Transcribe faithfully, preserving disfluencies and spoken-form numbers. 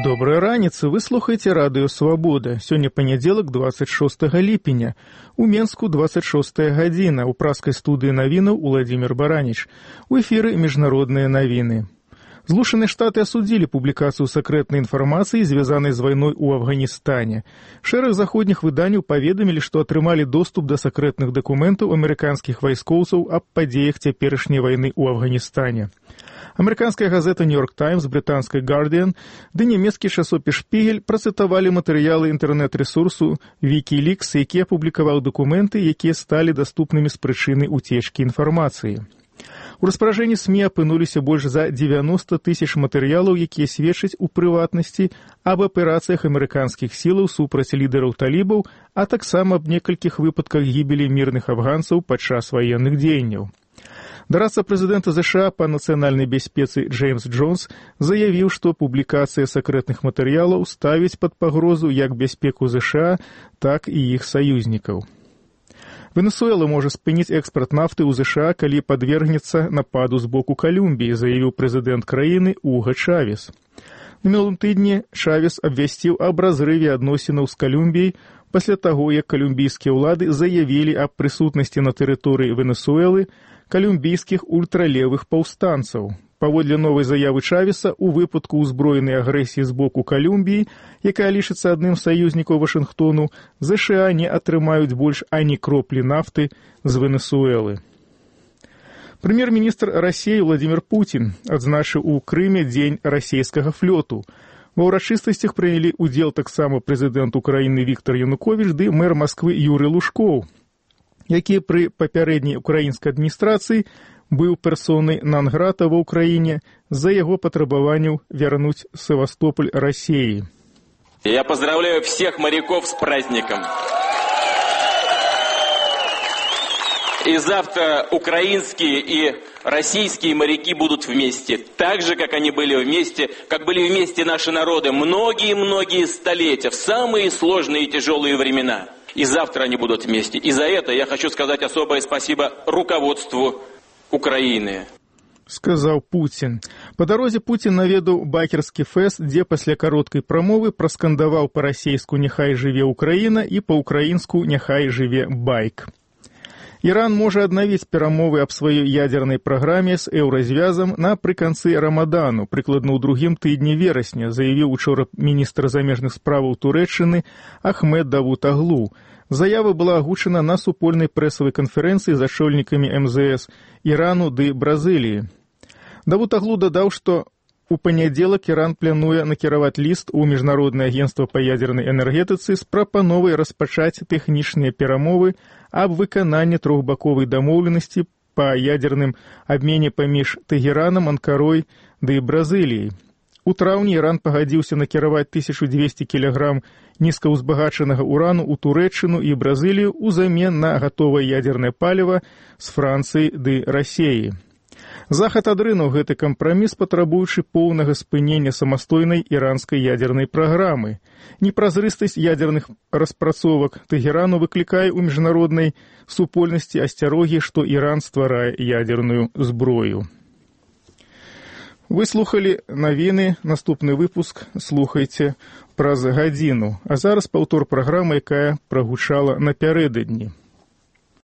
Доброй раніцы, вы слухаеце радыё «Свабода». Сёння панядзелак, двадцать шостага ліпеня. У Менску двадцать шостая гадзіна. У праскай студыі навінаў Уладзімір Бараніч. У эфіры міжнародныя навіны. Злучаныя Штаты асудзілі публікацыю сакрэтнай інфармацыі, звязанай з вайной у Афганістане. Шэраг заходніх выданняў паведамілі, што атрымалі доступ да сакрэтных дакументаў амерыканскіх вайскоўцаў аб падзеях цяперашняй вайны ў Афганістане. Амерыканская газета «Нью-Йорк Таймс», брытанская «Гардиан» ды нямецкі часопіс «Шпігель» працытавалі матэрыялы інтэрнэт-рэсурсу «Вікілікс», які апублікаваў дакументы, якія сталі даступнымі з прычыны уцечкі інфармацыі. У распаражэнні СМІ апынуліся больш за дзевяноста тысяч матэрыялаў, якія сведчаць у прыватнасці аб аперацыях амерыканскіх сілаў супраць лідараў талібаў, а таксама аб некалькіх выпадках гібелі мірных афганцаў падчас ваенных дзеянняў. Дарадца прэзідэнта ЗША па нацыянальнай бяспецы Джеймс Джонс заявіў, што публікацыя сакрэтных матэрыялаў ставіць пад пагрозу як бяспеку ЗША, так і іх саюзнікаў. Венесуэла можа спыніць экспарт нафты ў ЗША, калі падвергнецца нападу з боку Калумбіі, заявіў прэзідэнт краіны Уга Чавес. На мінулым тыдні Чавес абвясціў аб разрыве адносінаў з Калумбіяй пасля таго, як калумбійскія ўлады заявілі аб прысутнасці на тэрыторыі Венесуэлы калумбійскіх ультралевых паўстанцаў. Паводле новай заявы Чавеса, у выпадку ўзброенай агрэсіі з боку Калумбіі, якая лічыцца адным з саюзнікаў Вашынгтону, ЗША не атрымаюць больш ані кроплі нафты з Венесуэлы. Прэм'ер-міністр Расіі Владзімір Пуцін адзначыў у Крыме дзень расійскага флёту. Ва ўрачыстасцях прынялі ўдзел таксама прэзідэнт Украіны Віктар Януковіч ды мэр Масквы Юрый Лужкоў, які пры папярэдняй украінскай адміністрацыі быў персонай нон-грата ва ўкраіне з-за яго патрабаванняў вярнуць Севастополь России. Я поздравляю всех моряков с праздником. И завтра украинские и российские моряки будут вместе, так же, как они были вместе, как были вместе наши народы многие-многие столетия, в самые сложные и тяжелые времена. И завтра они будут вместе. И за это я хочу сказать особое спасибо руководству Украины. Сказаў Пуцін. Па дарозе Пуцін наведаў бакерскі фэст, дзе пасля кароткай прамовы праскандаваў па-расейску «Няхай жыве Украіна» і па-украінску «Няхай жыве байк». Іран можа аднавіць перамовы аб сваёй ядзернай праграме з еўразвязам напрыканцы рамадану, прыкладна ў другім тыдні верасня, заявіў учора міністр замежных справаў Турэччыны Ахмед Давутаглу. Заява была агучана на супольнай прэсавай канферэнцыі з ачольнікамі эм зэ эс Ірану ды Бразыліі. Давутаглу дадаў, што у панядзелак Іран плануе накіраваць ліст у Міжнароднае агенцтва па ядзернай энергетыцы з прапановай распачаць тэхнічныя перамовы аб выкананні трохбаковай дамоўленасці па ядзерным абмене паміж Тэгеранам, Анкарой ды Бразыліяй. У траўні Іран пагадзіўся накіраваць тысячу дзвесце кілаграм нізкаўзбагачанага урану ў Турэччыну і Бразылію ўзамен на гатовае ядзернае паліва з Францыі ды Расіі. Захад адрынуў гэты кампраміс, патрабуючы поўнага спынення самастойнай іранскай ядзернай праграмы. Непразрыстасць ядзерных распрацовак Тэгерану выклікае ў міжнароднай супольнасці асцярогі, што Іран стварае ядзерную зброю. Вы слухалі навіны, наступны выпуск слухайце праз гадзіну. А зараз паўтор праграмы, якая прагучала напярэдадні.